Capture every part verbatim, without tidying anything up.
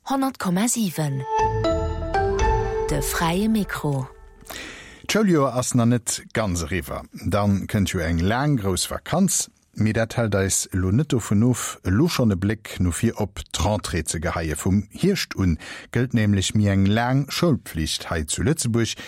Honnert Komma siwen, De fräie Mikro. D'Schouljoer ass nach net ganz eriwwer. Dann kënnt jo eng laang grouss Vakanz. Mee dat hält eis elo net dovun of, elo schonn e Bléck no vir op d'Rentrée ze geheien. Vum Hierscht un gëllt nämlech méi eng laang Schoulpflicht hei zu Lëtzebuerg.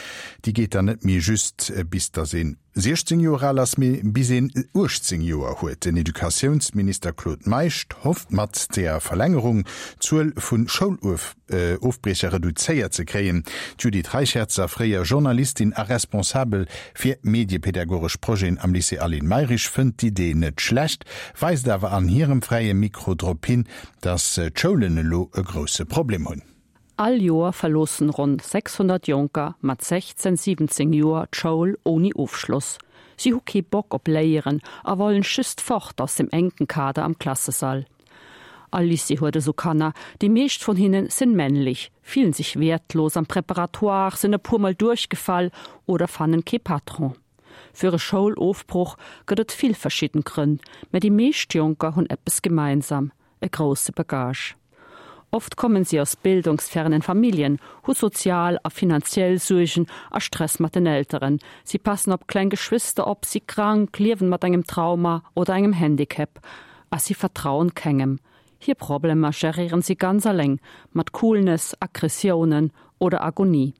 Déi geet dann net méi just bis dass een siechzéng Joer al ass, mee bis een uechtzéng Joer huet. Den Educatiounsminister Claude Meisch hofft mat der Verlängerung d'Zuel vu Schoulofbriecher reduzéiert ze kréien. D'Judith Reicherzer, fréier Journalistin a Responsabel fir mediepedagogesch Projeten am Lycée Aline Mayrisch, fënnt d'Idee net schlecht, weist awer an hirem Fräie Mikro drop hin, datt d'Schoulen elo e grousse Problem hunn. All Joer verloossen ronn sechshonnert Jonker mat sechzehn, siwwenzéng Joer d'Schoul ouni Ofschloss. Si hu kee Bock op Léieren a wollen just fort aus dem enken Kader am Klassesall. All Lycée huet esou Kanner, déi meescht vun hinnen sinn männlech, fillen sech wäertlos am Préparatoire, sinn e puer Mol duerchgefall oder fannen kee Patron. Fir e Schoulofbroch gëtt et vill verschidden Grënn, mä déi meescht Jonker hunn eppes gemeinsam, e grousse Bagage. Oft kommen si aus bildungsfernen Familljen, hu sozial a finanziell Suergen a Stress mat den Elteren, si passen op kleng Geschwister op, si krank, liewen mat engem Trauma oder engem Handicap a si vertrauen kengem. Hir Problemer geréieren si ganz alleng, mat Coolness, Aggressiounen oder Agonie.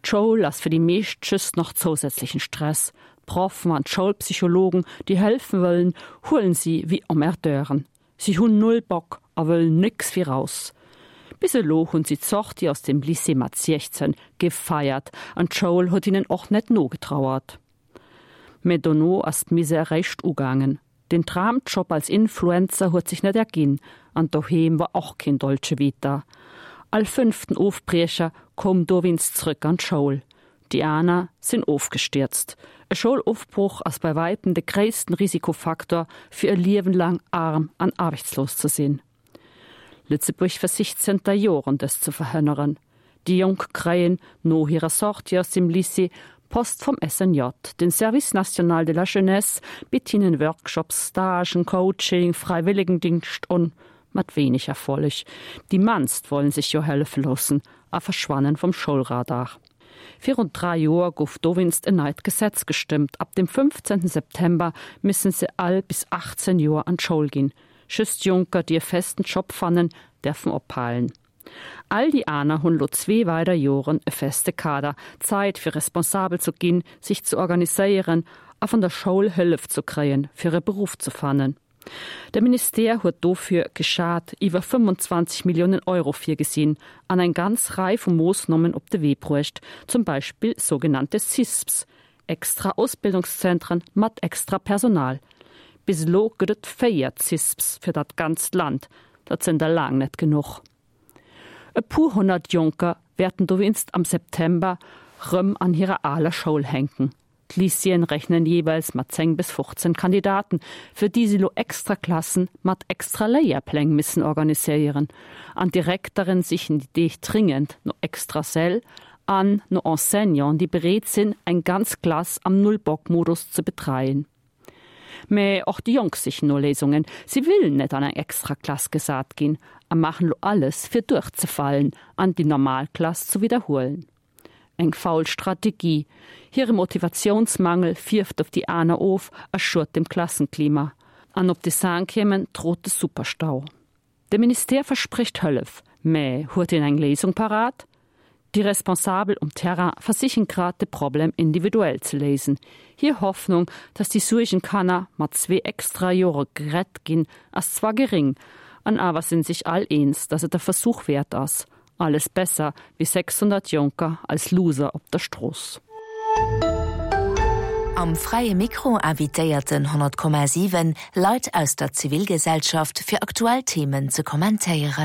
D'Schoul ass fir déi meescht just nach zousätzlechen Stress. D'Proffen an d'Schoulpsychologen, déi hëllefen wëllen, huelen si wéi Emmerdeuren. Si hunn null Bock a wëllen nix wéi raus. Bis elo hunn si d'Sortie aus dem Lycée mat siechzehn gefeiert an d'Schoul huet hinnen och net nogetrauert. Mä dono ass d'Misär eréischt ugaangen. Den Dramjob als Influencer huet sech net erginn an doheem war och keen Dolce Vita. All fënnften Ofbriecher koum dowéinst zrëck an d'Schoul. Déi aner sinn ofgestierzt. E Schoulofbroch ass bei wäitem de gréissten Risikofaktor fir e Liewen laang aarm an aarbechtslos ze sinn. Lëtzebuerg versicht zënter Joren dëst ze verhënneren. Déi Jonk kréien no hirer Sortie aus dem Lycée Post vum S N J. Den Service National de la Jeunesse bitt hinnen Workshops, Stagen, Coaching, Fräiwëllegendingscht un, mat wéineg Erfolleg. Déi mannst wollen sech jo hëllefe loossen a verschwannen vum Schoulradar. Virun dräi Joer gouf dowéinst en neit Gesetz gestëmmt, ab dem fënnfzéngten September müssen se all bis achtzéng Joer an d'Schoul ginn. Just Jonker, déi e festen Job fannen, däerfen ophalen. All déi aner hunn lo zwee weider Joren e feste Kader, Zäit fir responsabel ze ginn, sech ze organiséieren a vun der Schoul Hëllef ze kréien, fir e Beruff ze fannen. De Ministère huet dofir geschat iwwer fënnfanzwanzeg Milliounen Euro virgesinn an eng ganz Rei vu Moossnomen op de Wee bruecht, zum Beispill sougenannte CISPs, extra Ausbildungszentren mat extra Personal. Bis elo gëtt et véier CISPs fir dat ganzt Land, dat sinn der laang net genuch. E puer honnert Jonker wäerten dowéinst am September rëm an hirer aler Schoul hänken. D'Lycéeën rechnen jeeweils mat zéng bis fofzéng Kandidaten, fir déi si lo extra Klassen mat extra Léierpläng missen organiséieren. An d'Direkteren sichen déi Deeg dringend no extra Säll an no Enseignanten, déi bereet sinn, eng ganz Klass am Null-Bock-Modus ze betreien. Mä och déi Jonk sichen no Léisungen. Si wëllen net an eng extra Klass gesat ginn a maachen lo alles, fir duerchzefalen an déi normal Klass ze widderhuelen. Eng faul Strategie. Hire Motivatiounsmangel fierft op déi aner of a schued dem Klassenklima. An op de Cinquièmen droht de Superstau. De Ministère versprécht Hëllef, mä huet en eng Léisung parat? Déi Responsabel um Terrain versichen grad de Problem individuell ze léisen. Hir Hoffnung, dass déi Suergenkanner mat zwee extra Jore gerett ginn, ass zwar geréng, an awer sinn sech all eens, dass et e Versuch wäert ass. Alles besser wéi sechshonnert Jonker als Loser op der Strooss. Am Fräie Mikro invitéiert den honnert Komma siwen Leit aus der Zivilgesellschaft fir aktuell Themen ze kommentéieren.